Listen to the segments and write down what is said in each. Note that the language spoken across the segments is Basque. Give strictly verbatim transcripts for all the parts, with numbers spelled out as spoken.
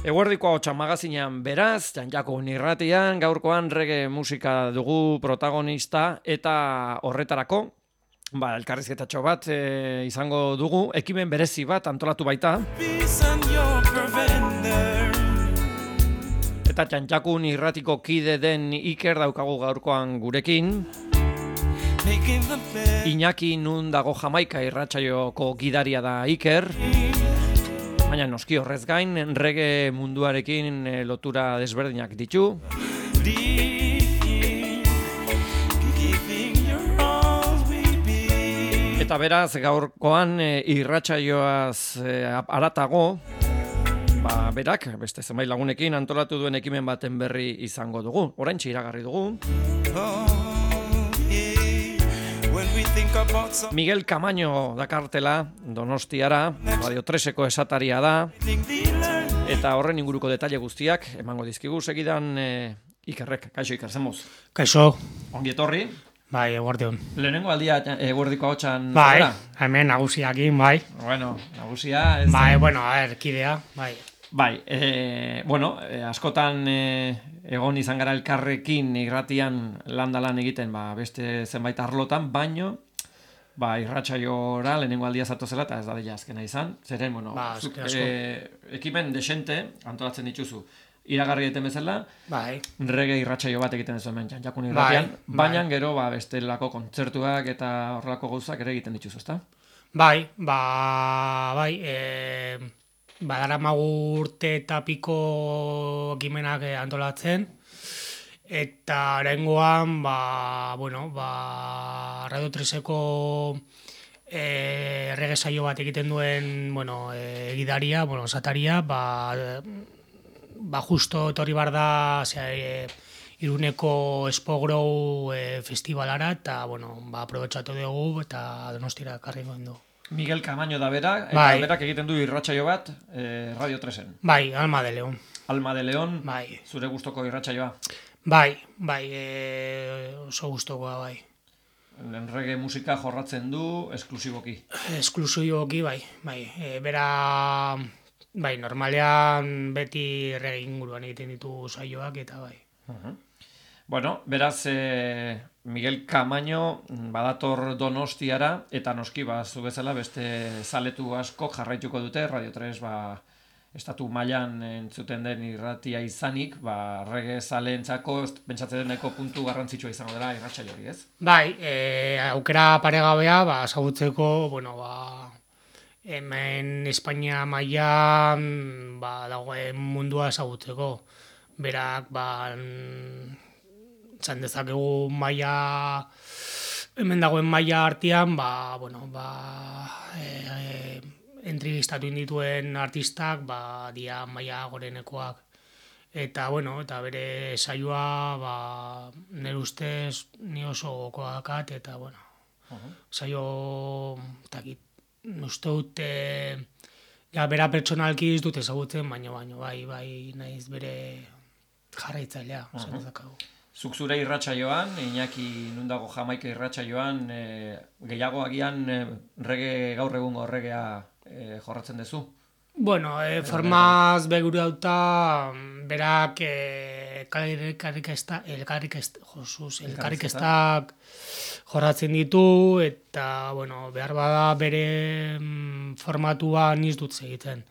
Eguerdiko ahotsa magazinean beraz, Janjako irratian, gaurkoan reggae musika dugu protagonista eta horretarako, ba, elkarrizketatxo bat e, izango dugu, ekimen berezi bat antolatu baita. Eta Janjakun irratiko kide den Iker daukagu gaurkoan gurekin. Iñaki nun dago Jamaika irratsaioko gidaria da Iker. Baina noski horrez gain, reggae munduarekin e, lotura desberdinak ditu. Eta beraz, gaurkoan e, irratsaioaz e, aratago, ba, berak, beste zenbait lagunekin antolatu duen ekimen baten berri izango dugu. Oraintxe iragarri dugu. Miguel Kamaño dakartela Donostiara, Radio treseko esataria da, eta horren inguruko detaile guztiak emango dizkigu segidan e, Ikerrek. Kaixo Iker, zemuz? Kaixo. Ongi etorri. Bai, eguardion. Lehenengo aldia eguerdiko ahotsan. Bai, hemen nagusiakin, bai. Bueno, nagusia. Ez bai, da... bueno, a ver, kidea, bai. Bai, e, bueno, e, askotan e, egon izan gara elkarrekin irratian landalan egiten, ba, beste zenbait arlotan, baino, ba, irratsaiora lehenengo aldia zatozela, eta ez da dela azkena izan. Zeren, bueno, ba, zuk, asko. e, ekimen desente antolatzen dituzu. Iragarri egiten bezala, bai. Reggae irratsaio bat egiten duzu hemen Janjakun irratian, bai, baina bai. gero ba, bestelako kontzertuak eta horrelako gauzak ere egiten dituzu, ezta? Bai, ba, bai, e, badaramagu urte eta piko ekimenak antolatzen, eta oraingoan, ba, bueno, ba, Radio treseko e, reggae saio bat egiten duen, bueno, e, gidaria, bueno, sataria, ba, ba justo etorri bar da, osea, e, Iruneko Spogrow e, festivalara, eta, bueno, ba, aprobetxatu dugu, eta Donostira karri gondo. Miguel Kamaño da bera, eta bai. berak egiten du irratsaio bat e, Radio tresen. Bai, Alma de León. Alma de León, bai. Zure gustoko irratsaioa. Bai, bai, e, oso gustokoa, bai. Reggae musika jorratzen du, esklusiboki. Esklusiboki, bai, bai. E, bera... Bai, normalean beti reggae inguruan egiten ditu saioak eta bai. Uh-huh. Bueno, beraz, eh, Miguel Kamaño badator Donostiara, eta noski, ba, zu bezala beste zaletu asko jarraituko dute, Radio tres, ba, estatu mailan entzuten den irratia izanik, ba, reggae zaleentzako pentsatzen deneko puntu garrantzitsua izango dela irratsaio hori, ez? Bai, e, aukera paregabea, ba, ezagutzeko, bueno, ba, hemen Espainia mailan ba, dagoen mundua ezagutzeko. Berak, ba, zan dezakegu maila, hemen dagoen maila artean, ba, bueno, ba, e, e, entrevistatu indituen artistak, ba, dia maila gorenekoak. Eta, bueno, eta bere saioa, ba, nire ustez, ni oso gokoakat, eta, bueno, uh-huh. saio, takit, uste dut, e, ja, bera pertsonalki ez dut ezagutzen, baina, baina, bai, bai, naiz bere jarraitzailea, uh-huh. esan dezakegu. Zuk zure irratsaioan, Iñaki nundago Jamaika irratsaioan, e, gehiago agian e, reggae, gaur egungo reggaea e, jorratzen duzu? Bueno, e, formaz beguru dauta, berak elkarrikestak jorratzen ditu, eta, bueno, behar bada bere formatua niz dut egiten.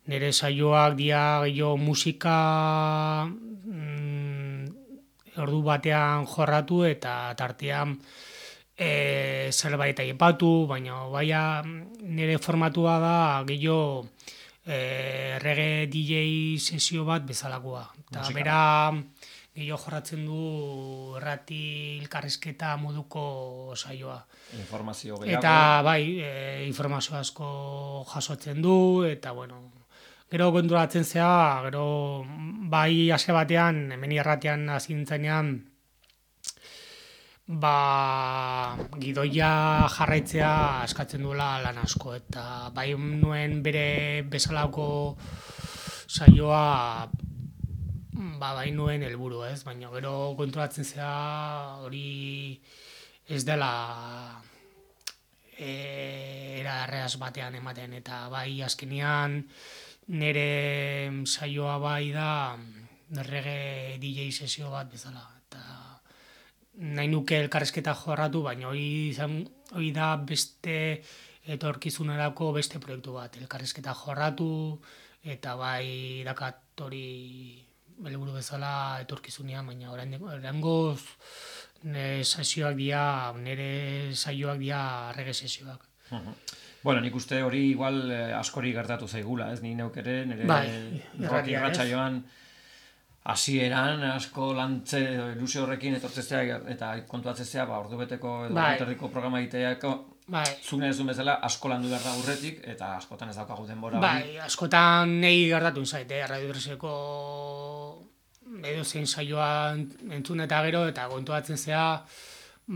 Nire saioak dia gehiago musika mm, ordu batean jorratu eta tartean e, zerbait aipatu, baina baina nire formatua da gehiago e, reggae D J sesio bat bezalakoa. Eta bera gehiago jorratzen du errati elkarrizketa moduko saioa. Informazio gehiago. Eta bai, e, informazio asko jasotzen du, eta bueno, gero konturatzen zea, gero bai hase batean, hemen irratian hasi nintzenean, ba, gidoia jarraitzea eskatzen duela lan asko, eta bai nuen bere bezalako saioa, ba, bai nuen helburu, ez? Baina gero konturatzen zea hori ez dela e, era erreaz batean ematen, eta bai azkenean nire saioa bai da reggae D J sesio bat bezala. Eta nahi nuke elkarrezketa jorratu, baina hori izan, hori da beste etorkizunerako beste proiektu bat. Elkarrezketa jorratu, eta bai dakat hori helburu bezala etorkizunean, baina oraingoz nire saioak dira, nire saioak dira reggae sesioak. Bueno, nik uste hori igual eh, askori gertatu zaigula, ez? Ni neuk ere, nire bai, rock irratsaioan hasieran asko lantze ilusio horrekin etortzezea eta kontuatzezea, ba, ordubeteko edo bai. ordubeterdiko programa egiteako, bai. zune ez du bezala asko landu behar da urretik, eta askotan ez daukagu denbora hori. Bai, askotan nahi gertatu zaite, Radio Dreseko edo zein saioa entzun eta gero, eta kontuatzen zea,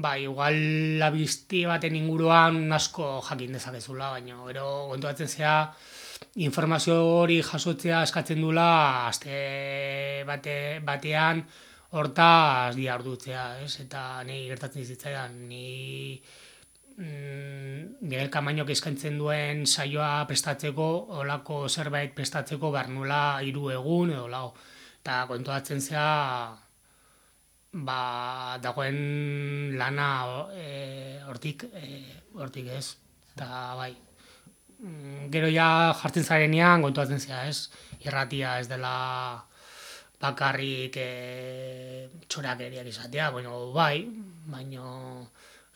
ba, igual labizti baten inguruan asko jakin dezakezula, baina gero kontuatzen zea, informazio hori jasotzea eskatzen dula aste bate, batean hortaz diardutzea, ez? Eta nahi gertatzen zitzaidan, ni mm, Miguel Kamainok eskaintzen duen saioa prestatzeko, olako zerbait prestatzeko behar nula hiru egun edo lau. Eta kontuatzen zea, ba, dagoen lana hortik, e, hortik ez, eta bai. Gero ja jartzen zarenean kontuatzen zea, ez? Irratia ez dela bakarrik e, txorakeriak izatea, baina bai, baina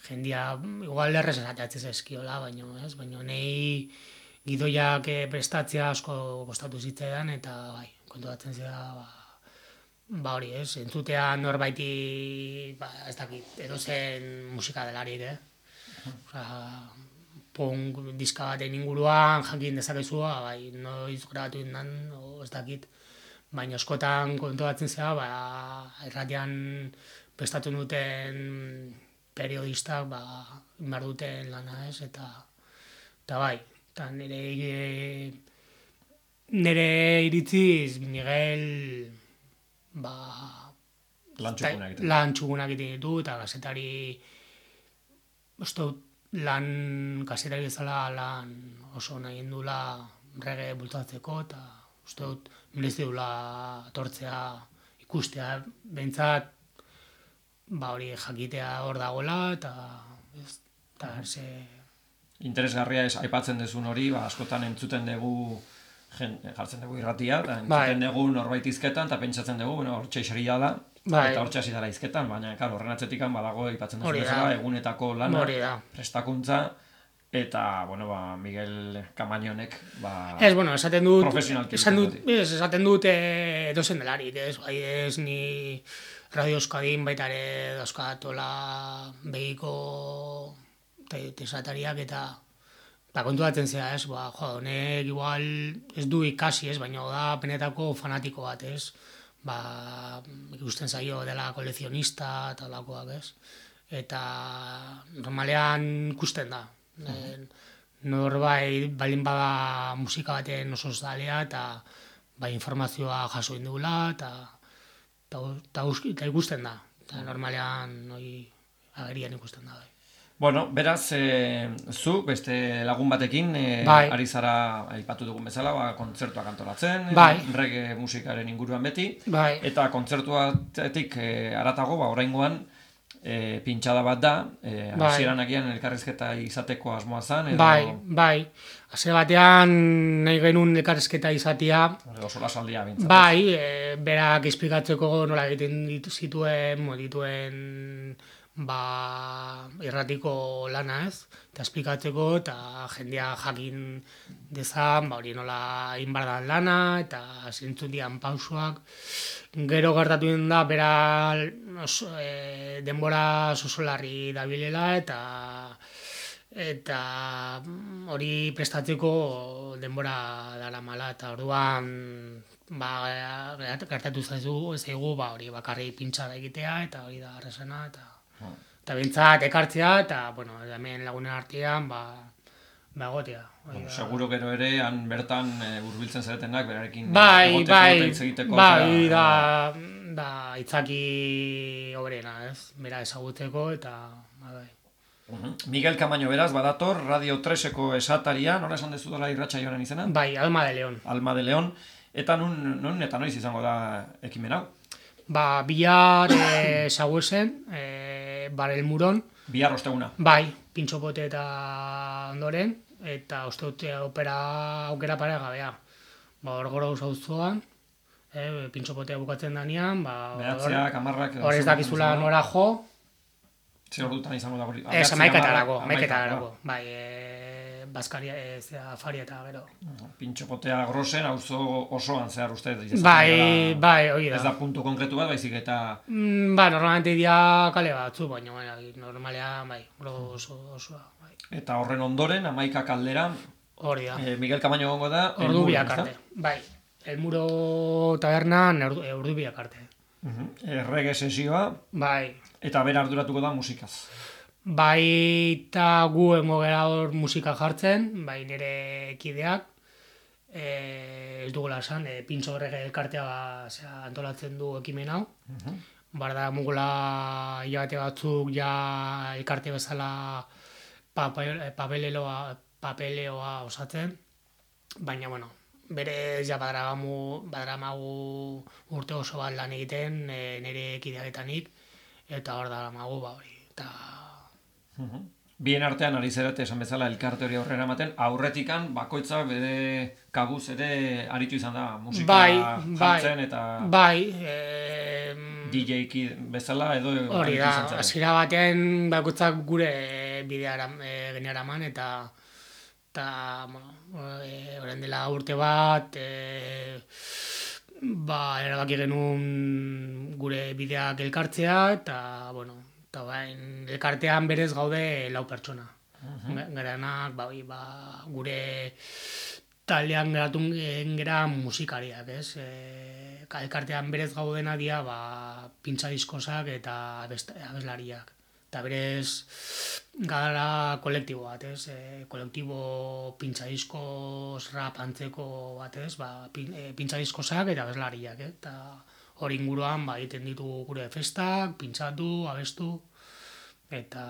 jendia igual errez esateatzen zezkiola, baina ez, baina nahi gidoiak prestatzea asko kostatu zitzaidan, eta bai, kontuatzen zea, ba, ba hori ez, entzutea norbaiti, ba, ez dakit, edozen musika delarik, eh? Osa, punk diska baten inguruan jakin dezakezua, bai, noiz grabatu indan, o ez dakit, baina askotan kontuatzen zea, ba, irratian prestatu duten periodistak, ba, inbar duten lana ez, eta, eta bai, eta nire, nire iritziz, Miguel, ba, lan txukunak egiten. Lan txukunak egiten ditu, eta gazetari, uste dut, lan kasetari bezala lan oso nahi dula reggae bultatzeko, eta uste dut merezi dula etortzea ikustea, behintzat ba hori jakitea hor dagoela, eta ez, eta ze... Interesgarria ez aipatzen dezun hori, ba, askotan entzuten dugu jen, jartzen dugu irratia, eta entzuten bai. dugu norbait izketan, eta pentsatzen dugu, bueno, hortxe isaria da, bai. Eta hortxe hasi dara izketan, baina, klar, horren atzetikan badago aipatzen duzu bezala, egunetako lana, prestakuntza, eta, bueno, ba, Miguel Kamañonek, ba, ez, bueno, esaten dut, profesionalki. Esan dut, ez, esaten dut e, edozen delarik, ez, bai, ez, ni Radio Euskadin baita ere dauzkatola begiko tesatariak, eta ba, kontuatzen zera, ez, ba, jo, honek igual ez du ikasi, ez, baina da penetako fanatiko bat, ez, ba, ikusten zaio dela kolezionista eta olakoak, ez, eta normalean ikusten da, uh-huh. Norbait balin bada musika baten oso zalea, eta ba, informazioa jaso indugula, eta eta ikusten da, eta normalean hori agerian ikusten da, bai. Bueno, beraz, e, zu, beste lagun batekin, e, bai. Ari zara aipatu dugun bezala, ba, kontzertuak antolatzen, bai. reggae musikaren inguruan beti, bai. Eta kontzertuatik e, aratago, ba, oraingoan, e, pintxada bat da, e, bai. Hasieran agian elkarrizketa izateko asmoa zen, edo... Bai, bai, hasiera batean nahi genuen elkarrizketa izatea, edo sola saldia bintzat. Bai, e, berak esplikatzeko nola egiten zituen, modituen... ba, irratiko lana ez, eta esplikatzeko, eta jendea jakin dezan, ba, hori nola inbardan lana, eta zintzun dian pausuak. Gero gertatu da, bera oso, e, denbora sosolarri dabilela, eta eta hori prestatzeko denbora dara mala, eta orduan ba, gertatu zaizu, zaigu, ba, hori bakarri pintxada egitea, eta hori da arrezena, eta eta bintzat ekartzea, eta, bueno, hemen lagunen artean, ba, ba egotea. Bueno, seguro gero ere, han bertan e, urbiltzen zaretenak, berarekin bai, egoteko bai, eta hitz egiteko. Bai, da, da, itzaki obrena, ez? Bera ezagutzeko, eta, bai. Miguel Kamaño beraz, badator, Radio treseko esataria, nola esan dezu dela irratsaioaren izena? Bai, Alma de León. Alma de León. Eta nun, nun eta noiz izango da ekimen hau? Ba, bihar e, Saguesen, e, Barel Muron. Bihar osteguna. Bai, pintxopote eta ondoren, eta uste dute opera aukera pare gabea. Ba, hor gora auzoan, e, pintxopotea bukatzen danean, ba, behatziak, amarrak... Hor ez dakizula nora jo. Zer ordutan izango da hori? Ez, amaikatarako, amaikatarako. Bai, e, Baskaria, ez, afaria eta gero. Pintxopotea grosen, auzo osoan zehar uste. Bai, bai, hori da. Ez da puntu konkretu bat, baizik eta... Mm, ba, normalmente dira kale batzu, baina, bai, normalean, bai, oso, osoa, bai. Eta horren ondoren, amaika kaldera, hori da. Eh, Miguel Kamaño gongo da... Ordu biak arte, bai. El Muro tabernan ordu biak arte. Errege sesioa. Bai. Eta bera arduratuko da musikaz. Bai, eta gu engo gara hor musika jartzen, bai nire kideak, e, ez dugula esan, e, pintxo errege elkartea ba, zera, antolatzen du ekimen hau. Uh-huh. Barda mugula hilabete batzuk ja elkarte bezala papeleoa, papeleoa osatzen, baina, bueno, berez ja badaramagu, badaramagu urte oso bat lan egiten e, nire kideaketanik, eta hor da magu, ba hori, eta... Uh-huh. Bien artean ari zerate esan bezala elkarte hori aurrera ematen, aurretikan bakoitza bere kabuz ere aritu izan da musika bai, jartzen bai, eta... Bai, e... D J-ki bezala edo... Hori da, hasiera batean bakoitzak gure bidea e, generaman eta... Eta, bueno, e, orain dela urte bat... E, ba, erabaki genuen gure bideak elkartzea, eta, bueno, eta bain, elkartean berez gaude lau pertsona. Uh-huh. Garanak, ba, ba, gure taldean geratun gera musikariak, ez? E, elkartean berez gaudena dia, ba, pintza diskosak eta abeslariak. Eta berez, gara kolektibo bat, ez? E, kolektibo pintza diskoz rap antzeko bat, ez? Ba, pin, e, pintza diskosak eta abeslariak, eh? Eta hori inguruan ba, egiten ditu gure festak, pintzatu, abestu, eta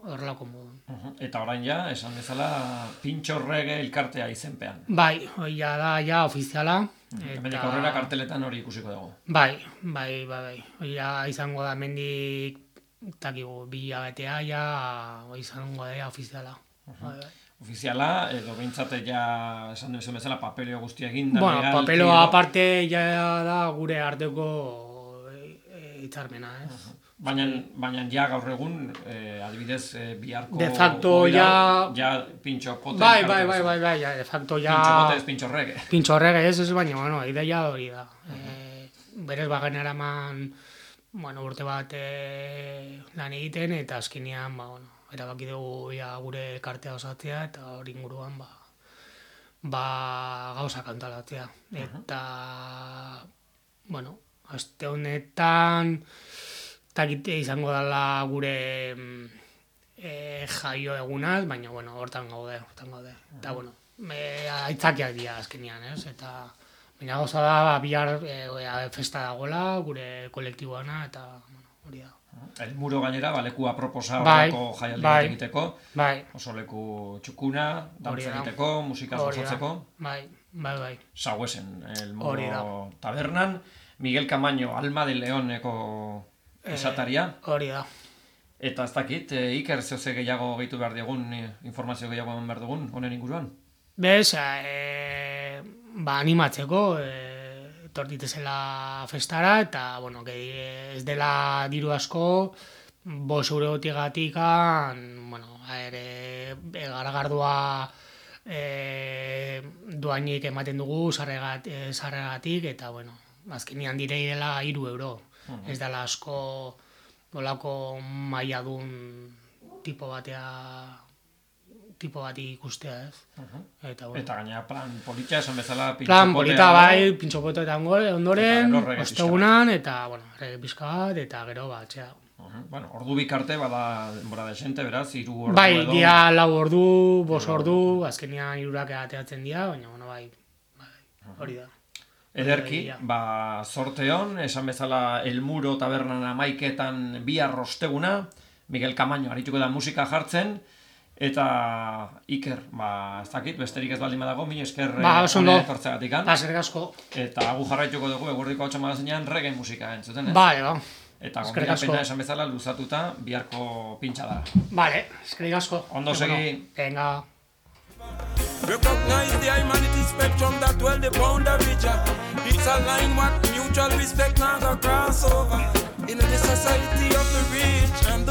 horrelako modu. Uh-huh. Eta orain ja, esan bezala, pintxo reggae elkartea izenpean. Bai, hori ja da, ja, ofiziala. Eta mendik aurrera karteletan hori ikusiko dago. Bai, bai, bai, bai. Hori ja izango da mendik, takigu, bi abetea, ja, izango da, ofiziala. Uh-huh. Bai, bai. Ofiziala, edo bintzate ja, esan duzen bezala, papeleo guztia egin da. Bueno, papeleo aparte ja da gure arteko hitzarmena, ez? Uh-huh. Baina, baina ja gaur egun, eh, adibidez, eh, biharko... De facto ja... Ja pintxo pote... Bai, bai, bai, bai, bai, ja, de facto ja... Pintxo pote ez pintxo reggae. Pintxo reggae ez, ez, baina, bueno, ideia hori da. Uh-huh. E, berez bagen eraman, bueno, urte bat e, lan egiten, eta azkenean, ba, bueno, erabaki dugu ja gure kartea osatzea, eta hori inguruan, ba, ba gauza kantalatzea. Eta, uh-huh. bueno, aste honetan... Takite izango dela gure e, jaio egunaz, baina, bueno, hortan gaude, hortan gaude. Eta, bueno, e, aitzakiak dira azkenean, ez? Eta, baina gauza da, bihar e, festa dagoela, gure kolektiboana, eta, bueno, hori da. El Muro gainera, baleku aproposa bai, horreko jaialdi bai, egiteko. Bai. Oso leku txukuna, dantza egiteko, musika osatzeko. Bai, bai, bai. Saguesen, El Muro tabernan. Miguel Kamaño, Alma de Leoneko... esataria. Hori da. Eta ez dakit, e, Iker zehose gehiago gehitu behar digun, e, informazio gehiago eman behar dugun, honen inguruan? Bez, e, ba animatzeko, e, tortitezela festara, eta, bueno, ez dela diru asko, bos eurotigatik, bueno, ere, garagardua e, duainik ematen dugu, sarregatik, eta, bueno, azkenean direi dela hiru euro. Uh-huh. Ez dela asko nolako mailadun tipo batea tipo bati ikustea, ez? Uh-huh. Eta, bueno. Eta gaina plan polita esan bezala pintxo plan polita bai, pintxo pote eta ondoren, ostegunan, eta, bueno, rege pixka bat, eta gero bat, txea. Uh-huh. Bueno, ordu bikarte bada denbora desente, beraz, hiru ordu bai, edo... Bai, dia lau ordu, bos ordu, azkenean hirurak ateatzen dira, baina, bueno, bai, bai, hori da. Ederki, ba, sorteon, esan bezala El Muro tabernan amaiketan bihar osteguna, Miguel Kamaño arituko da musika jartzen, eta Iker, ba, ez dakit, besterik ez baldin badago, mi esker ba, honera etortzeagatik. Ba, eskerrik asko. Eta gu jarraituko dugu eguerdiko hautsa magazinean reggae musika entzuten, ez? Bale, ba. Eta gonbidapena esan bezala luzatuta biharko pintxa da. Bale, eskerrik asko. Ondo segi. Venga. Recognize the humanity spectrum that dwell the boundary. It's a line what mutual respect now go cross over. In the society of the real.